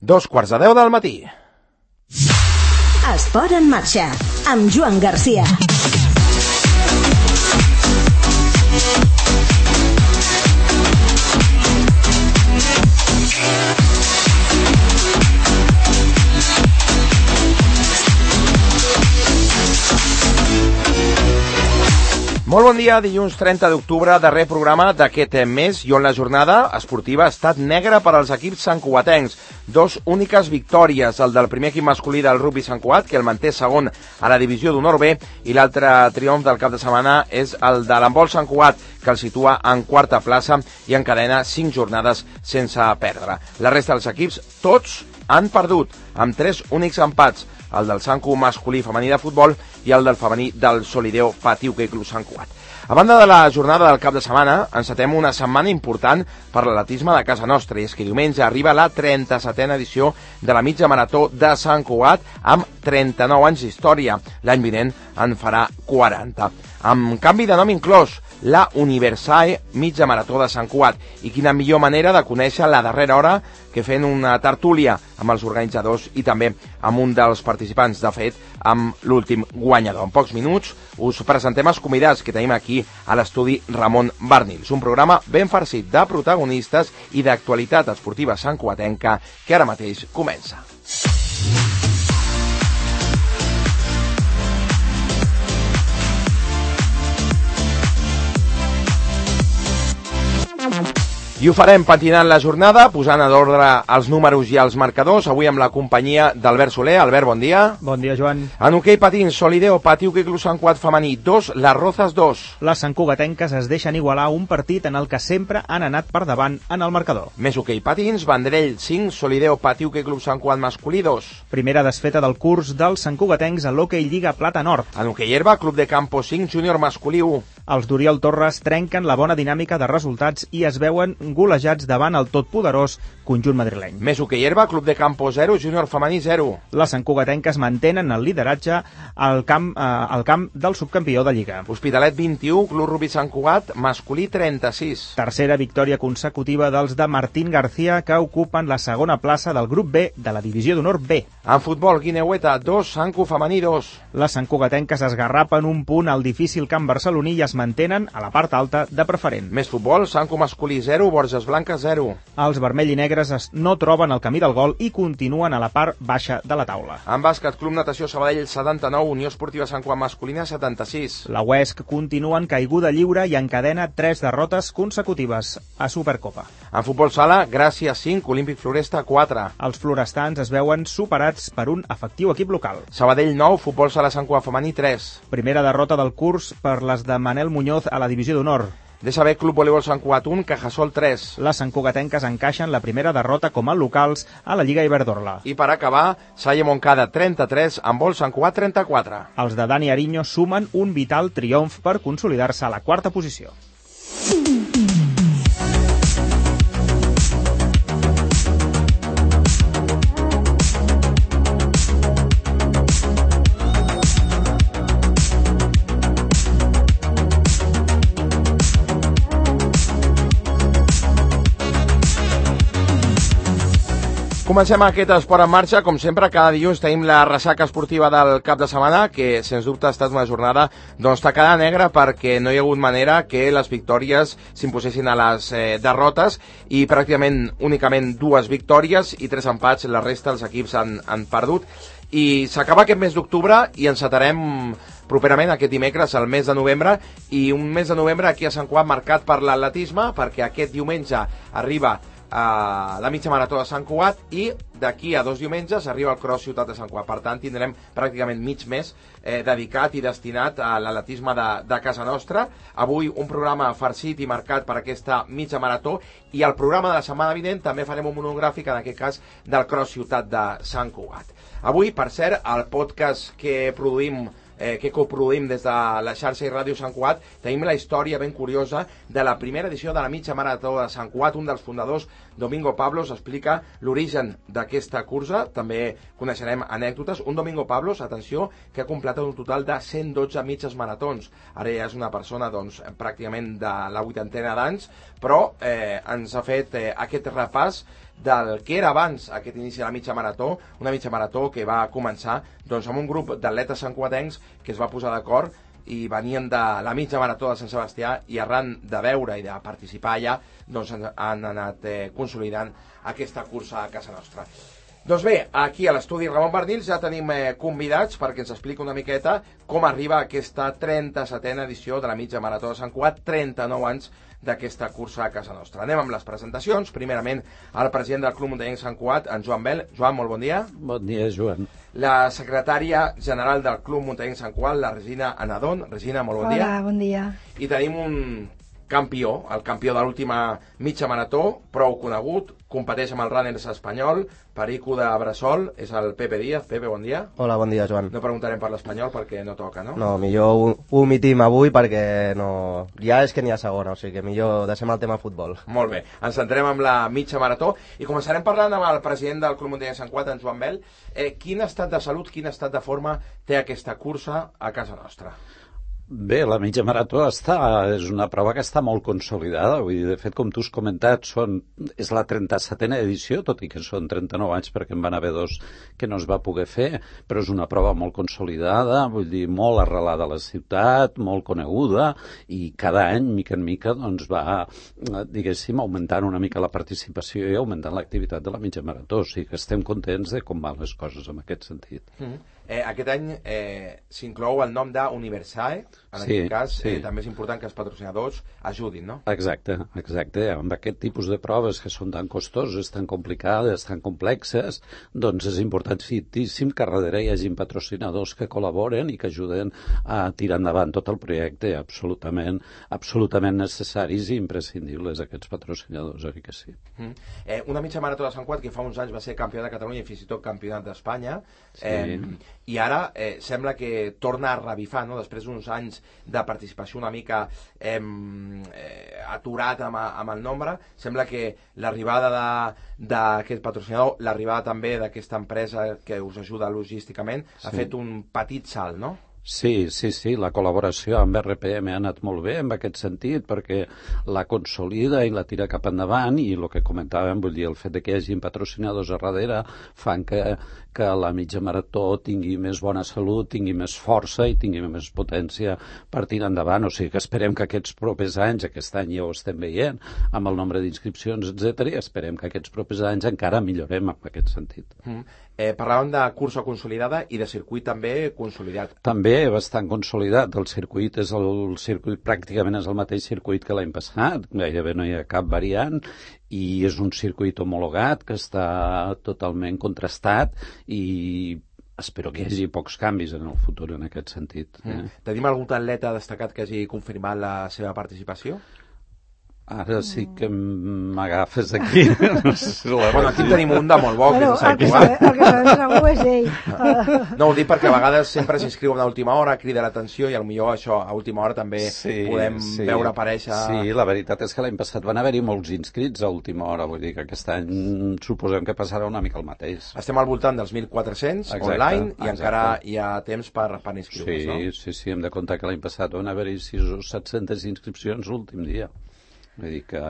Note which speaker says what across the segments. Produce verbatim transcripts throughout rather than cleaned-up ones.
Speaker 1: Dos quarts de deu del matí.
Speaker 2: Esport en marxa, amb Joan Garcia.
Speaker 1: Molt bon dia, dilluns trenta d'octubre, darrer programa d'aquest mes i on la jornada esportiva ha estat negra per als equips santcugatencs. Dos úniques victòries, el del primer equip masculí del rugbi Sant Cugat, que el manté segon a la divisió d'honor B, i l'altre triomf del cap de setmana és el de l'handbol Sant Cugat, que el situa en quarta plaça i encadena cinc jornades sense perdre. La resta dels equips, tots han perdut, amb tres únics empats, el del Sancu masculí i femení de futbol i el del femení del Solideo Pati Hoquei Club Sant Cugat. A banda de la jornada del cap de setmana, encetem una setmana important per l'atletisme de casa nostra, i és que diumenge arriba la trenta-setena edició de la mitja marató de Sant Cugat amb trenta-nou anys d'història. L'any vinent en farà quaranta. Amb canvi de nom inclòs, la Universae Mitja Marató de Sant Cugat. I quina millor manera de conèixer la darrera hora que fent una tertúlia amb els organitzadors i també amb un dels participants, de fet, amb l'últim guanyador. En pocs minuts us presentem els convidats que tenim aquí a l'estudi Ramon Barnils, un programa ben farcit de protagonistes i d'actualitat esportiva santcugatenca que ara mateix comença. I ho farem patinant la jornada, posant a l'ordre els números i els marcadors, avui amb la companyia d'Albert Soler. Albert, bon dia.
Speaker 3: Bon dia, Joan.
Speaker 1: En hoquei patins, Solideo Pati Hoquei Club Sant Cugat femení dos, Les Rozas dos.
Speaker 3: Les santcugatenques es deixen igualar un partit en el que sempre han anat per davant en el marcador.
Speaker 1: Més hoquei patins, Vendrell cinc, Solideo Pati Hoquei Club Sant Cugat masculí dos.
Speaker 3: Primera desfeta del curs dels santcugatencs a l'Hoquei Lliga Plata Nord.
Speaker 1: En hoquei herba, Club de Campo cinc, Júnior masculí u.
Speaker 3: Els d'Oriol Torres trenquen la bona dinàmica de resultats i es veuen golejats davant el totpoderós conjunt madrileny.
Speaker 1: Més hoquei herba, Club de Campo zero, Júnior femení zero.
Speaker 3: Les santcugatenques mantenen el lideratge al camp, eh, al camp del subcampió de Lliga.
Speaker 1: Hospitalet vint-i-u, Club Rugbi Sant Cugat masculí trenta-sis.
Speaker 3: Tercera victòria consecutiva dels de Martín García, que ocupen la segona plaça del grup B de la divisió d'honor B.
Speaker 1: En futbol, Guineueta dos, Sancu femení dos.
Speaker 3: Les santcugatenques esgarrapen un punt al difícil camp barceloní i es mantenen a la part alta de preferent.
Speaker 1: Més futbol, Sancu masculí zero, Borges Blanques zero.
Speaker 3: Els vermell i negres no troben el camí del gol i continuen a la part baixa de la taula.
Speaker 1: En bàsquet, Club Natació Sabadell setanta-nou, Unió Esportiva Sant Cugat masculina setanta-sis.
Speaker 3: La U E S C continua en caiguda lliure i encadena tres derrotes consecutives a Supercopa.
Speaker 1: En futbol sala, Gràcia cinc, Olímpic Floresta quatre.
Speaker 3: Els florestans es veuen superats per un efectiu equip local.
Speaker 1: Sabadell nou, Futbol sala Sant Cugat femení tres.
Speaker 3: Primera derrota del curs per les de Manel Muñoz a la divisió d'honor.
Speaker 1: D S B Club Voleibol Sant Cugat un, Cajasol tres.
Speaker 3: Les santcugatenques encaixen la primera derrota com a locals a la Lliga Iberdrola.
Speaker 1: I per acabar, Salle Montcada trenta-tres, Handbol Sant Cugat trenta-quatre.
Speaker 3: Els de Dani Ariño sumen un vital triomf per consolidar-se a la quarta posició.
Speaker 1: Comencem aquest esport en marxa. Com sempre, cada dilluns tenim la ressaca esportiva del cap de setmana, que sens dubte ha estat una jornada doncs, tacada negra, perquè no hi ha hagut manera que les victòries s'imposessin a les eh, derrotes, i pràcticament únicament dues victòries i tres empats. La resta dels equips han, han perdut. I s'acaba aquest mes d'octubre i encetarem properament aquest dimecres, el mes de novembre, i un mes de novembre aquí a Sant Cugat marcat per l'atletisme, perquè aquest diumenge arriba a la mitja marató de Sant Cugat i d'aquí a dos diumenges arriba el Cross Ciutat de Sant Cugat. Per tant, tindrem pràcticament mig mes eh, dedicat i destinat a l'atletisme de, de casa nostra. Avui un programa farcit i marcat per aquesta mitja marató, i el programa de la setmana vinent també farem un monogràfic, en aquest cas, del Cross Ciutat de Sant Cugat. Avui, per cert, el podcast que produïm Eh, que coproduïm des de la xarxa i ràdio Sant Cugat, tenim la història ben curiosa de la primera edició de la mitja marató de Sant Cugat. Un dels fundadors, Domingo Pablos, explica l'origen d'aquesta cursa. També coneixerem anècdotes. Un Domingo Pablos, atenció, que ha completat un total de cent dotze mitges maratons. Ara ja és una persona doncs, pràcticament de la vuitantena d'anys, però eh, ens ha fet eh, aquest repàs del que era abans aquest inici de la mitja marató, una mitja marató que va començar doncs, amb un grup d'atletes santcugatencs que es va posar d'acord i venien de la mitja marató de Sant Sebastià i arran de veure i de participar allà doncs han anat eh, consolidant aquesta cursa a casa nostra. Doncs bé, aquí a l'estudi Ramon Bernils ja tenim eh, convidats perquè ens explica una miqueta com arriba aquesta trenta-setena edició de la mitja marató de Sant Cugat, trenta-nou anys d'aquesta cursa a casa nostra. Anem amb les presentacions. Primerament, el president del Club Muntanyenc Sant Cugat, en Joan Bel. Joan, molt bon dia.
Speaker 4: Bon dia, Joan.
Speaker 1: La secretària general del Club Muntanyenc Sant Cugat, la Regina Anadón. Regina, molt bon dia.
Speaker 5: Hola, bon dia.
Speaker 1: I tenim un campió, el campió de l'última mitja marató, prou conegut, competeix amb el Runners espanyol, Perico de Bressol, és el Pepe Díaz. Pepe, bon dia.
Speaker 6: Hola, bon dia, Joan.
Speaker 1: No preguntarem per l'espanyol perquè no toca, no?
Speaker 6: No, millor ho, ho omitim avui perquè no... ja és que n'hi ha segona, o sigui que millor deixem el tema futbol.
Speaker 1: Molt bé, ens centrem amb la mitja marató i començarem parlant amb el president del Club Muntanyenc Sant Cugat, en Joan Bel. Eh, quin estat de salut, quin estat de forma té aquesta cursa a casa nostra?
Speaker 4: Bé, la mitja marató està, és una prova que està molt consolidada. Vull dir, de fet, com tu has comentat, són, és la trenta-setena edició, tot i que són trenta-nou anys perquè en van haver dos que no es va poder fer, però és una prova molt consolidada, vull dir, molt arrelada a la ciutat, molt coneguda, i cada any, mica en mica, doncs va, diguéssim, augmentant una mica la participació i augmentant l'activitat de la mitja marató. O sigui que estem contents de com van les coses en aquest sentit.
Speaker 1: Mm-hmm. Eh, aquest any eh, s'inclou el nom d'Universae, en
Speaker 4: sí,
Speaker 1: aquest cas
Speaker 4: sí.
Speaker 1: eh, també és important que els patrocinadors ajudin, no?
Speaker 4: Exacte, exacte. Amb aquest tipus de proves que són tan costoses, tan complicades, tan complexes, doncs és importantíssim que darrere hi hagi patrocinadors que col·laboren i que ajuden a tirar endavant tot el projecte, absolutament, absolutament necessaris i imprescindibles aquests patrocinadors, oi que sí.
Speaker 1: Mm. Eh, una mitja marató de Sant Cugat que fa uns anys va ser campió de Catalunya i fins i tot campionat d'Espanya.
Speaker 4: Sí.
Speaker 1: Eh, i ara eh, sembla que torna a revifar, no? Després d'uns anys de participació una mica eh, eh, aturat amb, amb el nombre, sembla que l'arribada d'aquest patrocinador, l'arribada també d'aquesta empresa que us ajuda logísticament, sí. ha fet un petit salt, no?
Speaker 4: Sí, sí, sí, la col·laboració amb R P M ha anat molt bé en aquest sentit perquè la consolida i la tira cap endavant i el que comentàvem, vull dir, el fet de que hi hagi patrocinadors a darrere fan que, que la mitja marató tingui més bona salut, tingui més força i tingui més potència per tirar endavant. O sigui que esperem que aquests propers anys, aquest any ja ho estem veient, amb el nombre d'inscripcions, etcètera, i esperem que aquests propers anys encara millorem en aquest sentit.
Speaker 1: Mm. Eh, parlàvem de cursa consolidada i de circuit també consolidat.
Speaker 4: També bastant consolidat. El circuit és el circuit, pràcticament és el mateix circuit que l'any passat, gairebé no hi ha cap variant, i és un circuit homologat que està totalment contrastat i espero que hi hagi pocs canvis en el futur en aquest sentit. Eh?
Speaker 1: Mm. Tenim algun atleta destacat que hagi confirmat la seva participació?
Speaker 4: Ara sí que m'agafes aquí. No sé si la
Speaker 1: bueno, aquí tenim un de molt bo,
Speaker 5: bueno,
Speaker 1: que és el
Speaker 5: que el que sabem segur és ell. Uh.
Speaker 1: No, ho dic perquè a vegades sempre s'inscriuen a última hora, crida l'atenció i potser això a última hora també
Speaker 4: sí,
Speaker 1: podem
Speaker 4: sí.
Speaker 1: veure aparèixer...
Speaker 4: Sí, la veritat és que l'any passat van haver-hi molts inscrits a última hora, vull dir que aquest any suposem que passarà una mica el mateix.
Speaker 1: Estem al voltant dels mil quatre-cents
Speaker 4: exacte,
Speaker 1: online i
Speaker 4: exacte.
Speaker 1: encara hi ha temps per, per inscriure's,
Speaker 4: sí,
Speaker 1: no?
Speaker 4: Sí, sí, hem de comptar que l'any passat van haver-hi sis o set-centes inscripcions l'últim dia. Vull dir que...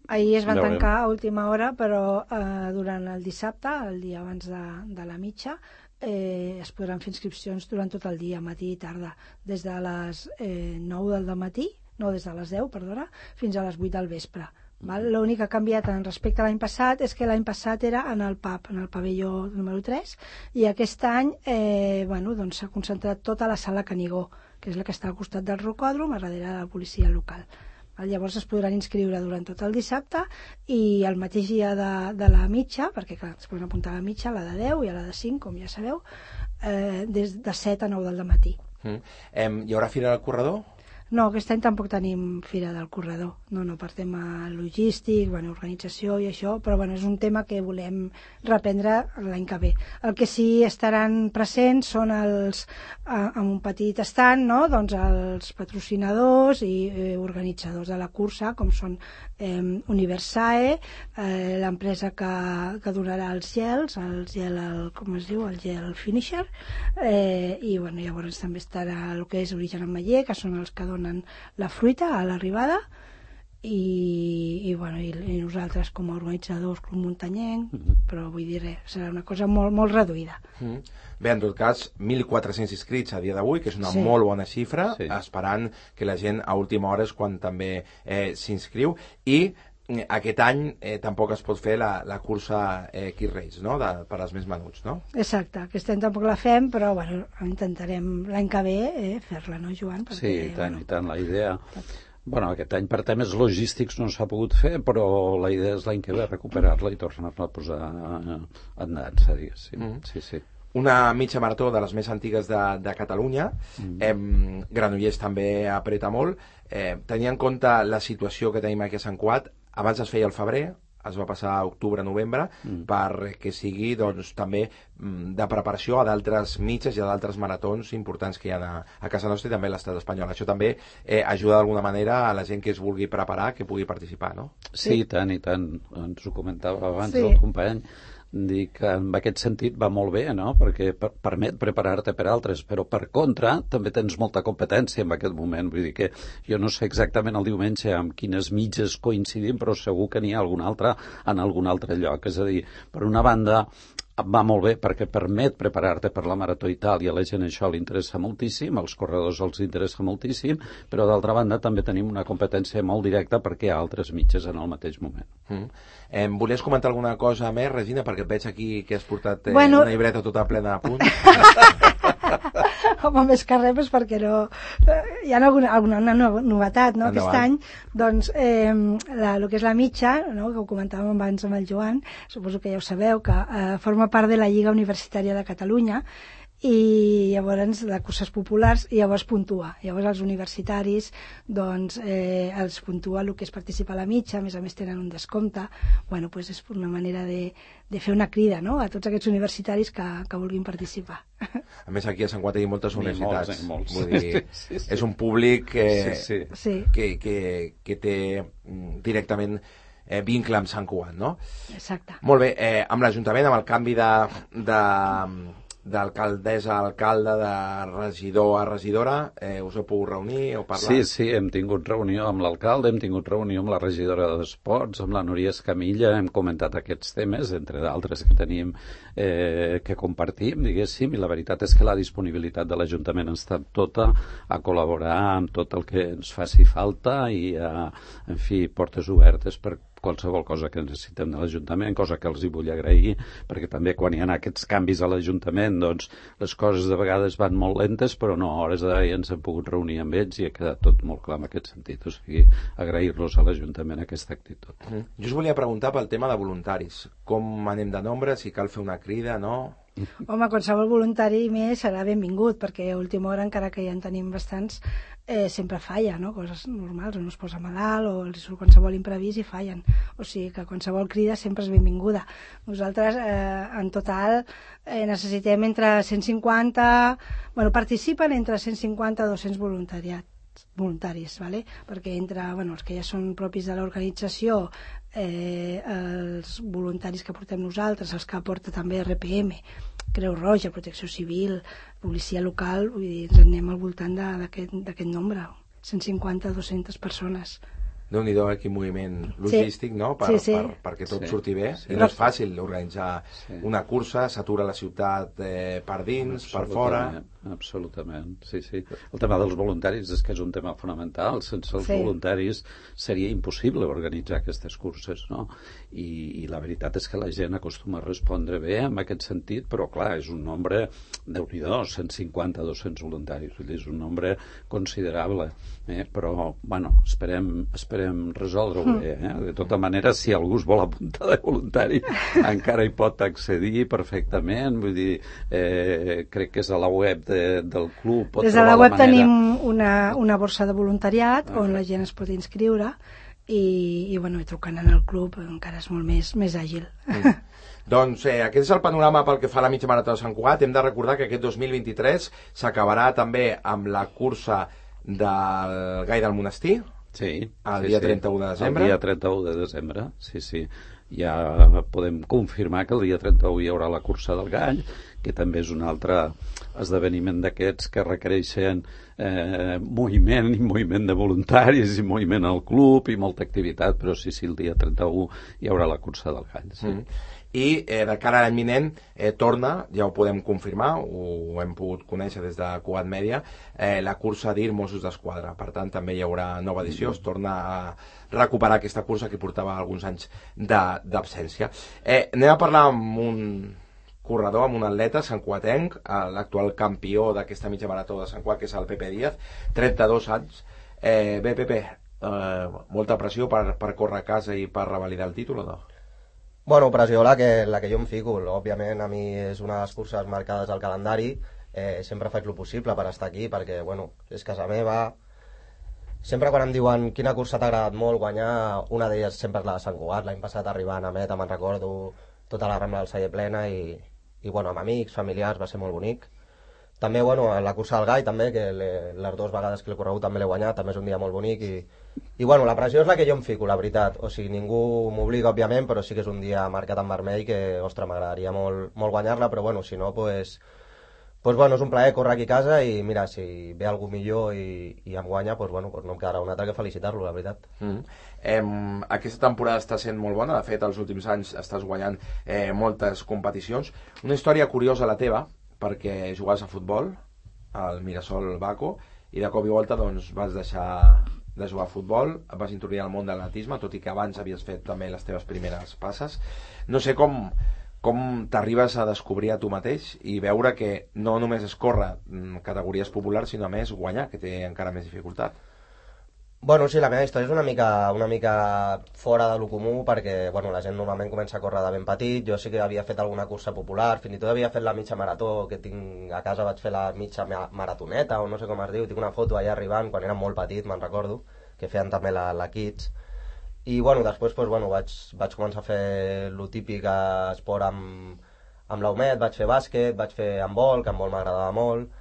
Speaker 5: Ahir es van
Speaker 4: veurem.
Speaker 5: tancar a última hora, però eh, durant el dissabte, el dia abans de, de la mitja, eh, es podran fer inscripcions durant tot el dia, matí i tarda, des de les eh, nou del matí, no, des de les deu, perdona, fins a les vuit del vespre. L'únic que ha canviat en respecte a l'any passat és que l'any passat era en el pub, en el pavelló número tres, i aquest any eh, bueno, doncs s'ha concentrat tota la sala Canigó, que és la que està al costat del rocòdrom, a darrere de la policia local. Llavors es podran inscriure durant tot el dissabte i el mateix dia de, de la mitja, perquè clar, es poden apuntar a la mitja, a la de deu i a la de cinc, com ja sabeu, eh, des de set a nou del matí.
Speaker 1: Mm. Eh, hi haurà fira del corredor?
Speaker 5: No, aquest any tampoc tenim fira del corredor, no, no, per tema logístic, bueno, organització i això, però bueno, és un tema que volem reprendre l'any que ve. El que sí estaran presents són els, eh, amb un petit estant, no?, doncs els patrocinadors i eh, organitzadors de la cursa, com són eh, Universae, eh, l'empresa que, que donarà els gels, el gel, el, com es diu, el gel finisher, eh, i bueno, llavors també estarà el que és Origen Ametller, que són els que donen la fruita a l'arribada, i, i, bueno, i, i nosaltres com a organitzadors Club Muntanyenc, mm-hmm. però vull dir res, serà una cosa molt, molt reduïda.
Speaker 1: Mm. Bé, en tot cas, mil quatre-cents inscrits a dia d'avui, que és una
Speaker 5: sí.
Speaker 1: molt bona xifra,
Speaker 4: sí.
Speaker 1: esperant que la gent a última hora és quan també eh, s'inscriu, i eh, aquest any eh, tampoc es pot fer la, la cursa eh, Kids Race, no?, de, per als més menuts, no?
Speaker 5: Exacte, aquest any tampoc la fem, però bueno, intentarem l'any que ve eh, fer-la, no, Joan? Perquè,
Speaker 4: sí, i tant,
Speaker 5: bueno,
Speaker 4: i tant, la idea... Bueno, aquest any per temes logístics no s'ha pogut fer, però la idea és l'any que ve recuperar-la i tornar-la a posar endans, diguéssim. Mm. Sí, sí.
Speaker 1: Una mitja marató de les més antigues de, de Catalunya. Mm. Eh, Granollers també apreta molt. Eh, tenint en compte la situació que tenim aquí a Sant Cugat, abans es feia al febrer, es va passar a octubre-novembre, mm. perquè sigui doncs, també de preparació a d'altres mitges i a d'altres maratons importants que hi ha a, a casa nostra i també a l'estat espanyol. Això també eh, ajuda d'alguna manera a la gent que es vulgui preparar, que pugui participar, no?
Speaker 4: Sí, i tant, i tant. Ens ho comentava abans
Speaker 5: sí.
Speaker 4: el company. Dic que en aquest sentit va molt bé, no?, perquè per, permet preparar-te per altres, però per contra també tens molta competència en aquest moment, vull dir que jo no sé exactament el diumenge amb quines mitges coincidim, però segur que n'hi ha algun altre en algun altre lloc, és a dir, per una banda va molt bé perquè permet preparar-te per la Marató Itàlia, a la gent això li interessa moltíssim, als corredors els interessa moltíssim, però d'altra banda també tenim una competència molt directa perquè hi ha altres mitges en el mateix moment.
Speaker 1: Mm. Eh, volies comentar alguna cosa més, Regina, perquè et veig aquí que has portat eh,
Speaker 5: bueno...
Speaker 1: una llibreta tota plena de punts?
Speaker 5: Home, més que res, pues, perquè no... Hi ha alguna, alguna novetat, no?, aquest any. Doncs eh, la, el que és la mitja, no?, que ho comentàvem abans amb el Joan, suposo que ja ho sabeu, que eh, forma part de la Lliga Universitària de Catalunya, i llavors de curses populars, i llavors puntua. Llavors els universitaris doncs, eh, els puntua el que és participar a la mitja, a més a més tenen un descompte. Bueno, pues és una manera de, de fer una crida, no?, a tots aquests universitaris que, que vulguin participar.
Speaker 1: A més, aquí a Sant Cugat hi ha moltes universitats.
Speaker 4: Molts, molts.
Speaker 1: Vull dir, sí, sí. És un públic eh,
Speaker 4: sí, sí.
Speaker 5: Sí.
Speaker 1: Que, que, que té directament eh, vincle amb Sant Cugat, no?
Speaker 5: Exacte.
Speaker 1: Molt bé, eh, amb l'Ajuntament, amb el canvi de... de d'alcaldessa a alcalde, de regidor a regidora, eh, us heu pogut reunir o parlar?
Speaker 4: Sí, sí, hem tingut reunió amb l'alcalde, hem tingut reunió amb la regidora d'Esports, amb la Núria Escamilla, hem comentat aquests temes, entre d'altres que tenim eh, que compartim, diguéssim, i la veritat és que la disponibilitat de l'Ajuntament ha estat tota a col·laborar amb tot el que ens faci falta i, a, en fi, portes obertes per qualsevol cosa que necessitem de l'Ajuntament, cosa que els hi vull agrair, perquè també quan hi ha aquests canvis a l'Ajuntament, doncs les coses de vegades van molt lentes, però no, a hores d'ara ja ens hem pogut reunir amb ells i ha quedat tot molt clar en aquest sentit, o sigui, agrair-los a l'Ajuntament aquesta actitud.
Speaker 1: Mm. Jo us volia preguntar pel tema de voluntaris. Com anem de nombre, si cal fer una crida, no?
Speaker 5: Home, qualsevol voluntari més serà benvingut, perquè a última hora, encara que ja en tenim bastants, eh, sempre falla, no?, coses normals, o no es posa malalt, o els surt qualsevol imprevist i fallen. O sigui que qualsevol crida sempre és benvinguda. Nosaltres, eh, en total, eh, necessitem entre cent cinquanta... Bueno, participen entre cent cinquanta i dos-cents voluntariats. voluntaris, ¿vale? Perquè entre bueno, els que ja són propis de l'organització, eh, els voluntaris que portem nosaltres, els que aporta també R P M, Creu Roja, Protecció Civil, policia local, vull dir, ens anem al voltant d'aquest nombre, cent cinquanta a dues-centes persones.
Speaker 1: Déu-n'hi-do, quin moviment logístic, sí. No? Per,
Speaker 5: sí, sí.
Speaker 1: Per, perquè tot
Speaker 4: sí.
Speaker 1: surti bé.
Speaker 4: Sí.
Speaker 1: I no és fàcil organitzar sí. una cursa, s'atura la ciutat eh, per dins, per fora...
Speaker 4: Absolutament, sí, sí. El tema dels voluntaris és que és un tema fonamental. Sense els sí. voluntaris seria impossible organitzar aquestes curses, no? I, i la veritat és que la gent acostuma a respondre bé en aquest sentit, però clar, és un nombre, Déu-n'hi-do, cent cinquanta a dos-cents voluntaris, és un nombre considerable, eh? Però, bueno, esperem, esperem resoldre-ho bé, eh? De tota manera, si algú es vol apuntar de voluntari, encara hi pot accedir perfectament, vull dir, eh, crec que és a la web de, del club. Pot
Speaker 5: Des de la web
Speaker 4: la manera...
Speaker 5: tenim una, una borsa de voluntariat ah. on la gent es pot inscriure i, i bueno, i trucant en el club encara és molt més, més àgil.
Speaker 1: Mm. Doncs eh, aquest és el panorama pel que fa a la mitja marató de Sant Cugat. Hem de recordar que aquest dos mil vint-i-tres s'acabarà també amb la cursa del Gai del Monestir,
Speaker 4: sí,
Speaker 1: el
Speaker 4: sí,
Speaker 1: dia
Speaker 4: sí.
Speaker 1: trenta-u de desembre.
Speaker 4: El dia trenta-u de desembre, sí, sí. ja podem confirmar que el dia trenta-u hi haurà la cursa del Gall, que també és un altre esdeveniment d'aquests que requereixen eh, moviment i moviment de voluntaris i moviment al club i molta activitat, però sí, sí, el dia trenta-u hi haurà la cursa del Gall. Sí.
Speaker 1: Mm. I eh, de cara a l'any vinent eh, torna, ja ho podem confirmar, ho hem pogut conèixer des de Cugat Mèdia, eh, la cursa d'I R Mossos d'Esquadra. Per tant, també hi haurà nova edició, es torna a recuperar aquesta cursa que portava alguns anys d'absència. Eh, anem a parlar amb un corredor, amb un atleta santcuatenc, l'actual campió d'aquesta mitja marató de Sant Cugat, que és el Pepe Díaz, trenta-dos anys. Eh, bé, Pepe, eh, molta pressió per, per córrer a casa i per revalidar el títol, o no?
Speaker 6: Bueno, pressió la que, la que jo em fico. Òbviament, a mi és una de les curses marcades al calendari. Eh, sempre faig el possible per estar aquí, perquè, bueno, és casa meva. Sempre quan em diuen quina cursa t'ha agradat molt guanyar, una d'elles sempre és la de Sant Cugat. L'any passat arribant a meta, me'n recordo, tota la Rambla del Celler plena i, i bueno, amb amics, familiars, va ser molt bonic. També, bueno, la cursa del Gall, també, que les dues vegades que l'he corregut també l'he guanyat, també és un dia molt bonic i, i bueno, la pressió és la que jo em fico, la veritat. O sigui, ningú m'obliga, òbviament, però sí que és un dia marcat en vermell que, ostres, m'agradaria molt, molt guanyar-la, però bueno, si no, pues, pues bueno, és un plaer córrer aquí a casa i mira, si ve algú millor i, i em guanya, pues bueno, pues no em quedarà un altre que felicitar-lo, la veritat.
Speaker 1: Mm. Eh, aquesta temporada està sent molt bona, de fet, els últims anys estàs guanyant eh, moltes competicions. Una història curiosa la teva, perquè jugaves a futbol al Mirasol Baco i de cop i volta doncs, vas deixar de jugar a futbol, vas introduir al món de l'atletisme, tot i que abans havies fet també les teves primeres passes. No sé com, com t'arribes a descobrir a tu mateix i veure que no només es corre categories populars, sinó a més guanyar, que té encara més dificultat.
Speaker 6: Bueno, sí, la meva història és una mica, una mica fora de lo comú perquè bueno, la gent normalment comença a córrer de ben petit. Jo sí que havia fet alguna cursa popular, fins i tot havia fet la mitja marató, que tinc a casa vaig fer la mitja maratoneta o no sé com es diu, tinc una foto allà arribant quan era molt petit, me'n recordo, que feien també la, la Kids. I bueno, després pues, bueno, vaig, vaig començar a fer lo típic esport amb, amb l'Aumet, vaig fer bàsquet, vaig fer handbol, que handbol m'agradava molt.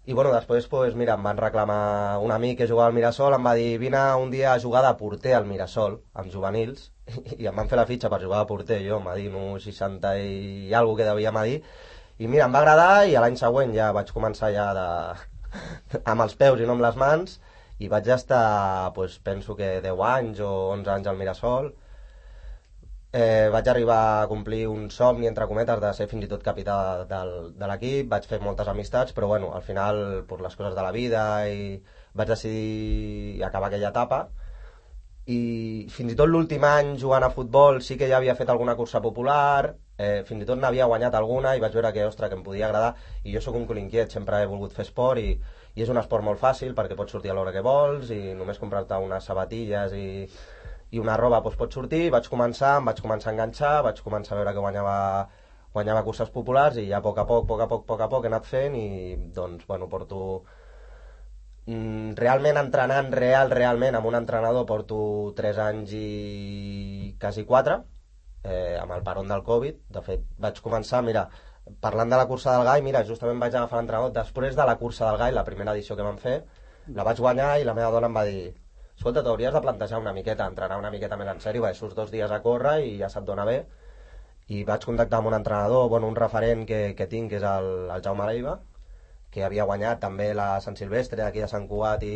Speaker 6: I bueno, després, pues, mira, em van reclamar un amic que jugava al Mirasol, em va dir, vine un dia a jugar de porter al Mirasol, amb juvenils, i em van fer la fitxa per jugar de porter, jo, m'ha dit, un seixanta i alguna que devia m'ha dit, i mira, em va agradar, i l'any següent ja vaig començar ja de... amb els peus i no amb les mans, i vaig estar, pues, penso que deu anys o onze anys al Mirasol. Eh, vaig arribar a complir un somni, entre cometes, de ser fins i tot capità de, de l'equip, vaig fer moltes amistats, però bueno, al final, per les coses de la vida, i vaig decidir acabar aquella etapa, i fins i tot l'últim any jugant a futbol sí que ja havia fet alguna cursa popular, eh, fins i tot n'havia guanyat alguna, i vaig veure que, ostres, que em podia agradar, i jo sóc un cul inquiet, sempre he volgut fer esport, i, i és un esport molt fàcil, perquè pots sortir a l'hora que vols, i només comprar-te unes sabatilles i... i una roba doncs, pot sortir. Vaig començar, em vaig començar a enganxar, vaig començar a veure que guanyava, guanyava curses populars i ja a poc a poc, poc a poc, poc a poc he anat fent i doncs, bueno, porto mm, realment entrenant, real, realment, amb un entrenador porto tres anys i quasi quatre, eh, amb el peron del Covid. De fet, vaig començar, mira, parlant de la cursa del Gall, mira, justament vaig agafar l'entrenador després de la cursa del Gall, la primera edició que vam fer, la vaig guanyar i la meva dona em va dir escolta, t'hauries de plantejar una miqueta, entrenar una miqueta més en sèrio, perquè surts dos dies a córrer i ja se't dona bé. I vaig contactar amb un entrenador, bueno, un referent que, que tinc, que és el, el Jaume Leiva, que havia guanyat també la Sant Silvestre aquí a Sant Cugat i,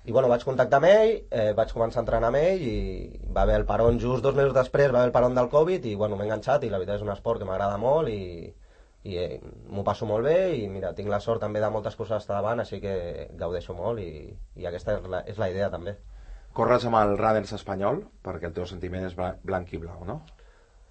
Speaker 6: i bueno, vaig contactar amb ell, eh, vaig començar a entrenar amb ell i va haver el peron just dos mesos després, va haver el peron del Covid i bueno, m'he enganxat i la veritat és un esport que m'agrada molt i i eh, m'ho passo molt bé i mira, tinc la sort també de moltes coses estar davant, així que gaudeixo molt i, i aquesta és la, és la idea també.
Speaker 1: Corres amb el Runners espanyol perquè el teu sentiment és blanc i blau, no?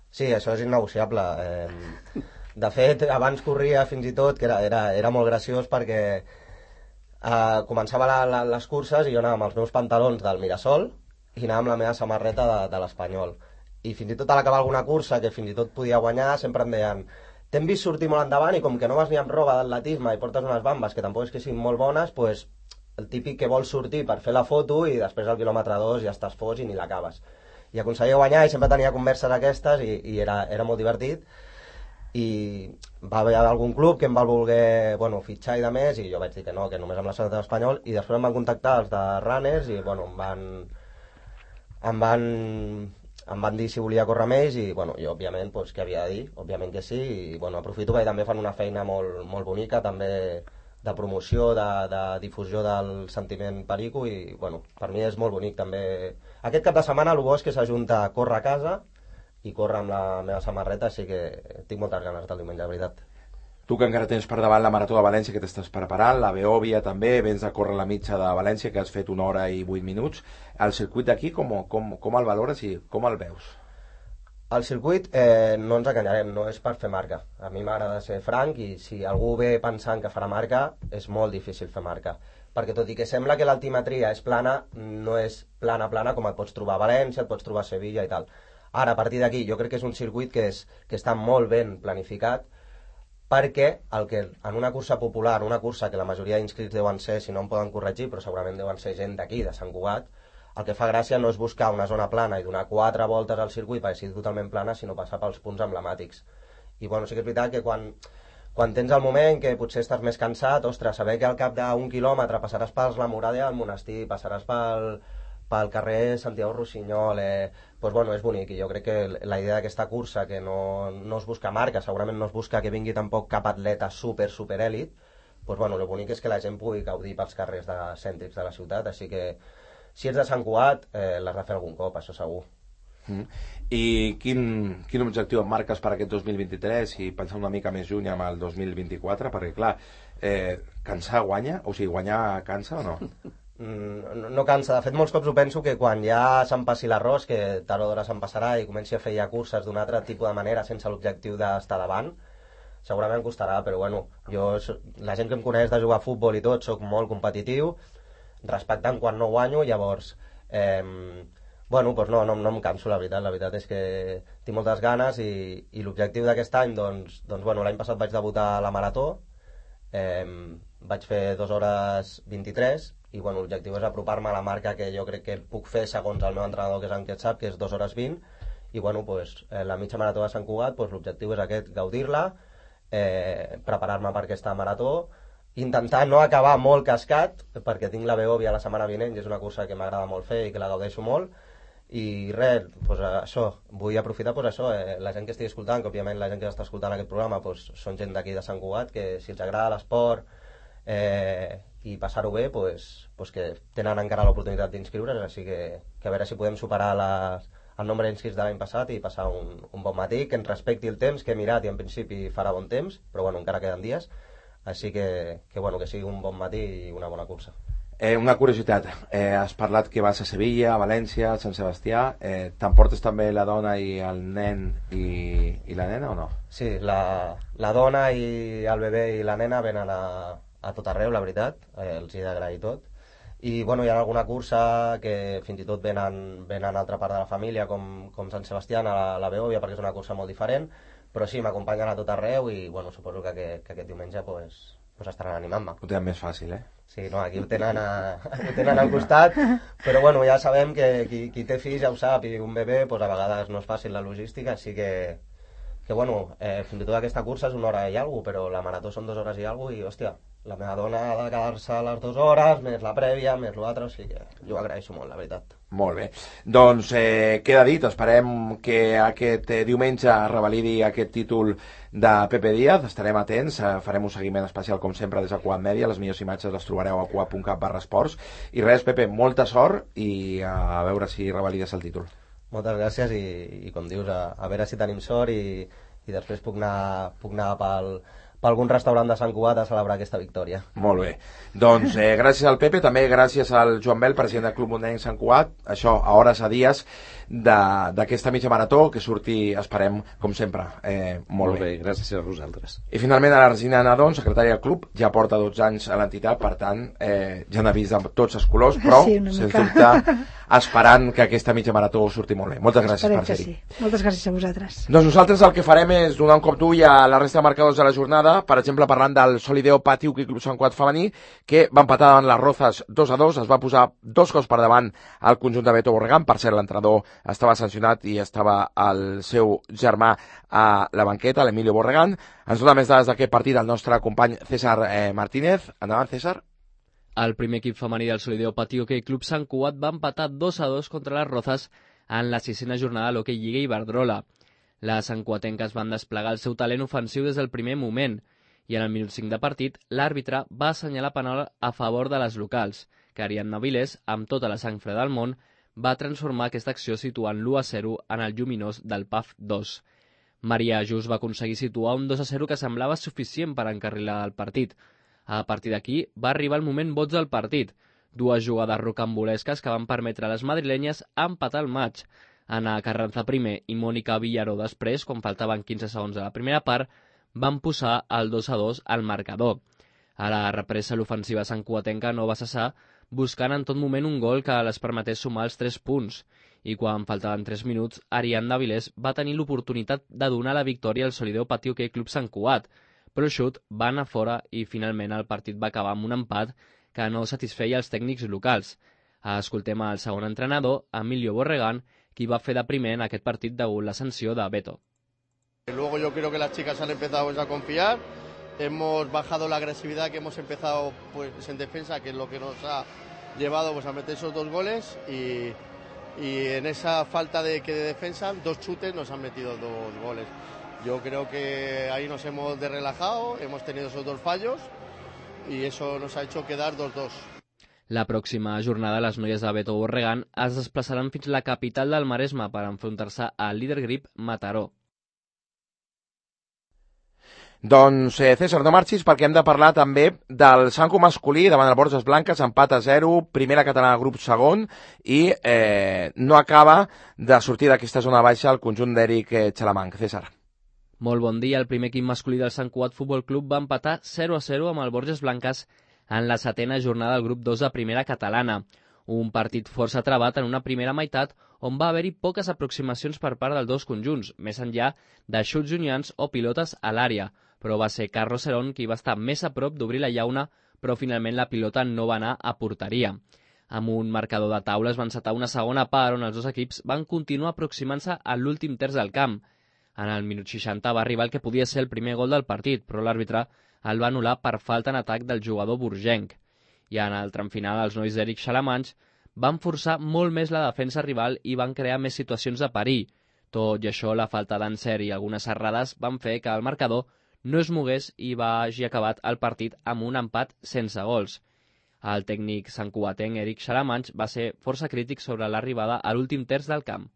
Speaker 6: Sí, això és innegociable. Eh, de fet, abans corria fins i tot, que era, era, era molt graciós perquè eh, començava la, la, les curses i jo anava amb els meus pantalons del Mirasol i anava amb la meva samarreta de, de l'Espanyol. I fins i tot a l'acabar alguna cursa, que fins i tot podia guanyar, sempre em deien t'hem vist sortir molt endavant i com que no vas ni amb roba d'atletisme i portes unes bambes que tampoc és que siguin molt bones, pues, el típic que vols sortir per fer la foto i després al quilòmetre dos ja estàs fos i ni l'acabes. I aconseguia guanyar i sempre tenia converses aquestes i, i era, era molt divertit. I va haver algun club que em va voler bueno, fitxar i de més i jo vaig dir que no, que només amb la selecció espanyol i després em van contactar els de Runners i bueno, em van... em van em van dir si volia córrer amb ells i bueno, jo òbviament pues, què havia de dir, òbviament que sí, i bueno, aprofito perquè també fan una feina molt, molt bonica, també de promoció, de, de difusió del sentiment perico i bueno, per mi és molt bonic també. Aquest cap de setmana el bo és que s'ajunta a córrer a casa i córrer amb la meva samarreta, així que tinc moltes ganes del diumenge, de veritat.
Speaker 1: Tu que encara tens per davant la Marató de València que t'estàs preparant, la Beòvia també, vens de córrer la mitja de València que has fet una hora i vuit minuts. El circuit d'aquí com, com, com el valores i com el veus?
Speaker 6: El circuit, eh, no ens enganyarem, no és per fer marca. A mi m'agrada ser franc i si algú ve pensant que farà marca, és molt difícil fer marca. Perquè tot i que sembla que l'altimetria és plana, no és plana plana com et pots trobar a València, et pots trobar a Sevilla i tal. Ara, a partir d'aquí, jo crec que és un circuit que, és, que està molt ben planificat perquè el que en una cursa popular, una cursa que la majoria d'inscrits deuen ser, si no em poden corregir, però segurament deuen ser gent d'aquí, de Sant Cugat, el que fa gràcia no és buscar una zona plana i donar quatre voltes al circuit perquè sigui totalment plana, sinó passar pels punts emblemàtics. I bueno, sí que és veritat que quan, quan tens el moment que potser estàs més cansat, ostres, saber que al cap d'un quilòmetre passaràs per la Muralla del Monestir, passaràs pel, pel carrer Santiago Rossinyol, eh, doncs bueno, és bonic, i jo crec que la idea d'aquesta cursa, que no, no es busca marca, segurament no es busca que vingui tampoc cap atleta super, super èlit, doncs bueno, el bonic és que la gent pugui gaudir pels carrers de, cèntrics de la ciutat, així que si ets de Sant Cugat, eh, l'has de fer algun cop, això segur.
Speaker 1: Mm. I quin, quin objectiu et marques per aquest dos mil vint-i-tres i pensar una mica més lluny amb el dos mil vint-i-quatre? Perquè clar, eh, cansar guanya? O sigui, guanyar cansa o no?
Speaker 6: No, no cansa, de fet molts cops ho penso que quan ja se'm passi l'arròs, que tard o d'hora se'm passarà i comenci a fer ja curses d'un altre tipus de manera sense l'objectiu d'estar davant, segurament costarà, però bueno, jo, la gent que em coneix de jugar a futbol i tot, sóc molt competitiu, respectant quan no guanyo, llavors eh, bueno, doncs no, no, no em canso, la veritat, la veritat és que tinc moltes ganes i, i l'objectiu d'aquest any, doncs, doncs bueno, l'any passat vaig debutar a la Marató, eh, vaig fer dues hores vint-i-tres i bueno, l'objectiu és apropar-me a la marca que jo crec que puc fer segons el meu entrenador, que és en Quetzap, que és dues hores vint, i bueno, pues, eh, la mitja marató de Sant Cugat, pues, l'objectiu és aquest, gaudir-la, eh, preparar-me per aquesta marató, intentar no acabar molt cascat, perquè tinc la Beòvia la setmana vinent, i és una cursa que m'agrada molt fer i que la gaudeixo molt, i res, pues, això, vull aprofitar pues, això, eh, la gent que estigui escoltant, que òbviament la gent que està escoltant aquest programa pues, són gent d'aquí de Sant Cugat, que si els agrada l'esport, eh, i passar-ho bé, pues, pues que tenen encara l'oportunitat d'inscriure's, així que, que a veure si podem superar les, el nombre d'inscrits de l'any passat i passar un, un bon matí, que ens respecti el temps, que he mirat i en principi farà bon temps, però bueno, encara queden dies, així que, que, bueno, que sigui un bon matí i una bona cursa.
Speaker 1: Eh, una curiositat, eh, has parlat que vas a Sevilla, a València, a Sant Sebastià, eh, t'emportes també la dona i el nen i, i la nena o no?
Speaker 6: Sí, la, la dona i el bebè i la nena venen a, a tot arreu, la veritat, eh, els hi he d'agrair tot. I bueno, hi ha alguna cursa que fins i tot venen, venen a altra part de la família, com, com Sant Sebastià, a la, la Beòvia, perquè és una cursa molt diferent, però sí, m'acompanyen a tot arreu i bueno, suposo que, que, que aquest diumenge pues, pues estaran animant-me.
Speaker 1: Ho tenen més fàcil, eh?
Speaker 6: Sí, no, aquí ho tenen, a, ho tenen al costat, però bueno, ja sabem que qui, qui té fills ja ho sap, i un bebè pues, a vegades no és fàcil la logística, així que, que bueno, eh, fins i tot aquesta cursa és una hora i alguna cosa, però la marató són dues hores i alguna cosa, i hòstia, la meva dona ha de quedar-se a les dues hores, més la prèvia, més l'altre, o sigui que jo ho agraeixo molt, la veritat.
Speaker 1: Molt bé. Doncs eh, queda dit, esperem que aquest eh, diumenge revalidi aquest títol de Pepe Díaz, estarem atents, eh, farem un seguiment especial com sempre des de Cugat Mèdia, les millors imatges les trobareu a cugat punt cat barra esports, i res, Pepe, molta sort i a veure si revalides el títol.
Speaker 6: Moltes gràcies i, i com dius, a, a veure si tenim sort i, i després puc anar, puc anar pel... per algun restaurant de Sant Cugat a celebrar aquesta victòria.
Speaker 1: Molt bé. Doncs eh, gràcies al Pepe, també gràcies al Joan Bel, president del Club Mundenc Sant Cugat, això a hores a dies d'aquesta mitja marató, que surti, esperem, com sempre, eh, molt, molt bé.
Speaker 4: bé. Gràcies a vosaltres.
Speaker 1: I finalment a la Resina Nadon, secretària del club, ja porta dotze anys a l'entitat, per tant, eh, ja n'ha vist de tots els colors, però,
Speaker 5: sí,
Speaker 1: sens dubte, esperant que aquesta mitja marató surti molt bé. Moltes gràcies
Speaker 5: Esperem
Speaker 1: per ser-hi.
Speaker 5: Sí. Moltes gràcies a vosaltres.
Speaker 1: Doncs nosaltres el que farem és donar un cop d'ull a la resta de marcadors de la jornada, per exemple parlant del Solideo Pati Hockey Club Sant Cugat femení, que va empatar davant les Rozas dos a dos, es va posar dos cops per davant al conjunt de Beto Borregán, per cert l'entrenador estava sancionat i estava el seu germà a la banqueta, l'Emilio Borregán. Ens dona més dades d'aquest partit el nostre company César eh, Martínez. Endavant, César.
Speaker 7: El primer equip femení del Solideo Pati Hockey Club Sant Cugat va empatar dos a dos contra les Rozas en la sisena jornada de l'Hockey Lliga Iberdrola. Les santcuatenques van desplegar el seu talent ofensiu des del primer moment i en el minut cinc de partit l'àrbitre va assenyalar penal a favor de les locals, que Ariadna Vilés, amb tota la sang freda del món, va transformar aquesta acció situant l'u a zero en el lluminós del P A F dos. Maria Just va aconseguir situar un dos a zero que semblava suficient per encarrilar el partit. A partir d'aquí va arribar el moment boig del partit, dues jugades rocambolesques que van permetre a les madrilenyes empatar el maig. Ana Carranza primer i Mònica Villaró després, quan faltaven quinze segons de la primera part, van posar el dos a dos al marcador. A la represa l'ofensiva santcuatenca no va cessar, buscant en tot moment un gol que les permetés sumar els tres punts. I quan faltaven tres minuts, Ariadna Vilés va tenir l'oportunitat de donar la victòria al Solideo Patí Hockey Club Sant Cugat, però el xut va anar fora i finalment el partit va acabar amb un empat que no satisfeia els tècnics locals. Escoltem al segon entrenador, Emilio Borregán, qui va fer de primer en aquest partit degut la sanció de Beto.
Speaker 8: Luego yo creo que las chicas han empezado a confiar, hemos bajado la agresividad que hemos empezado pues en defensa, que es lo que nos ha llevado pues a meter esos dos goles y, y en esa falta de, que de defensa, dos chutes nos han metido dos goles. Yo creo que ahí nos hemos relajado, hemos tenido esos dos fallos y eso nos ha hecho quedar dos dos.
Speaker 7: La pròxima jornada les noies de Beto Borregán es desplaçaran fins a la capital del Maresme per enfrontar-se al líder grip Mataró.
Speaker 1: Doncs, eh, César, no marxis perquè hem de parlar també del Sanco masculí davant el Borges Blanques, empat a zero, primera catalana grup segon, i eh, no acaba de sortir d'aquesta zona baixa el conjunt d'Eric eh, Xalamanc. César.
Speaker 7: Molt bon dia. El primer equip masculí del Sant Cugat Futbol Club va empatar zero a zero amb el Borges Blanques en la setena jornada del grup dos de primera catalana. Un partit força travat en una primera meitat on va haver-hi poques aproximacions per part dels dos conjunts, més enllà de xuts junyans o pilotes a l'àrea, però va ser Carlos Cerón qui va estar més a prop d'obrir la llauna, però finalment la pilota no va anar a porteria. Amb un marcador de taules va encetar una segona part on els dos equips van continuar aproximant-se a l'últim terç del camp. En el minut seixanta va arribar el que podia ser el primer gol del partit, però l'àrbitre el va anul·lar per falta en atac del jugador burgenc. I en el tram final els nois d'Eric Xalamanch van forçar molt més la defensa rival i van crear més situacions de perill. Tot i això, la falta d'encert i algunes errades van fer que el marcador no es mogués i va hagi acabat el partit amb un empat sense gols. El tècnic santcugatenc Eric Xalamanch va ser força crític sobre l'arribada a l'últim terç del camp.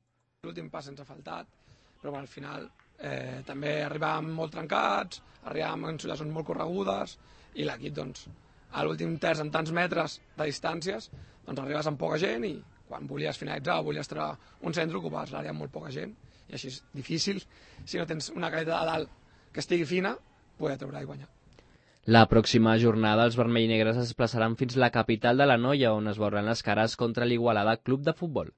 Speaker 9: L'últim pas ens ha faltat, però al final eh, també arribàvem molt trencats, arribàvem en situacions molt corregudes i l'equip, doncs, a l'últim terç amb tants metres de distàncies, doncs arribes amb poca gent i quan volies finalitzar o volies treure un centre ocupaves l'àrea amb molt poca gent i així és difícil, si no tens una caleta de dalt que estigui fina, poder treure i guanyar.
Speaker 7: La pròxima jornada els vermell i negres es desplaçaran fins a la capital de l'Anoia, on es veuran les cares contra l'Igualada Club de Futbol.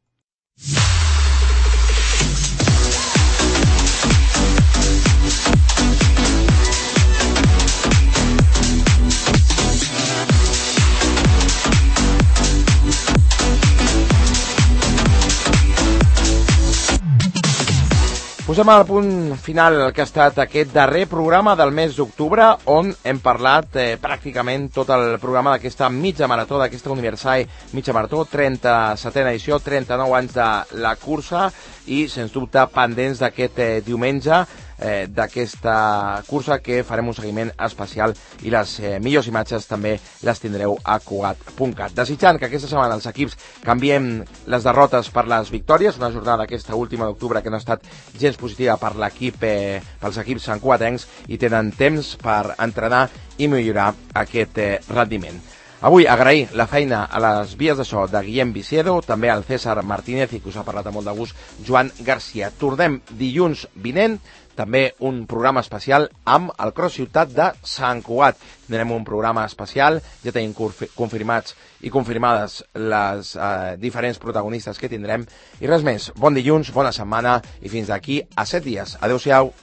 Speaker 1: Posem al punt final el que ha estat aquest darrer programa del mes d'octubre, on hem parlat eh, pràcticament tot el programa d'aquesta mitja marató, d'aquesta Universal mitja marató, trenta-setena edició, trenta-nou anys de la cursa i, sens dubte, pendents d'aquest eh, diumenge eh, d'aquesta cursa que farem un seguiment especial i les eh, millors imatges també les tindreu a Cugat punt cat. Desitjant que aquesta setmana els equips canviem les derrotes per les victòries, una jornada aquesta última d'octubre que no ha estat gens positiva per l'equip, eh, pels equips santcugatencs i tenen temps per entrenar i millorar aquest eh, rendiment. Avui agrair la feina a les vies de so de Guillem Viciedo, també al César Martínez i que us ha parlat amb molt de gust, Joan Garcia. Tornem dilluns vinent, també un programa especial amb el Cross Ciutat de Sant Cugat. Tindrem un programa especial, ja tenim confirmats i confirmades les eh, diferents protagonistes que tindrem. I res més, bon dilluns, bona setmana i fins d'aquí a set dies. Adéu-siau.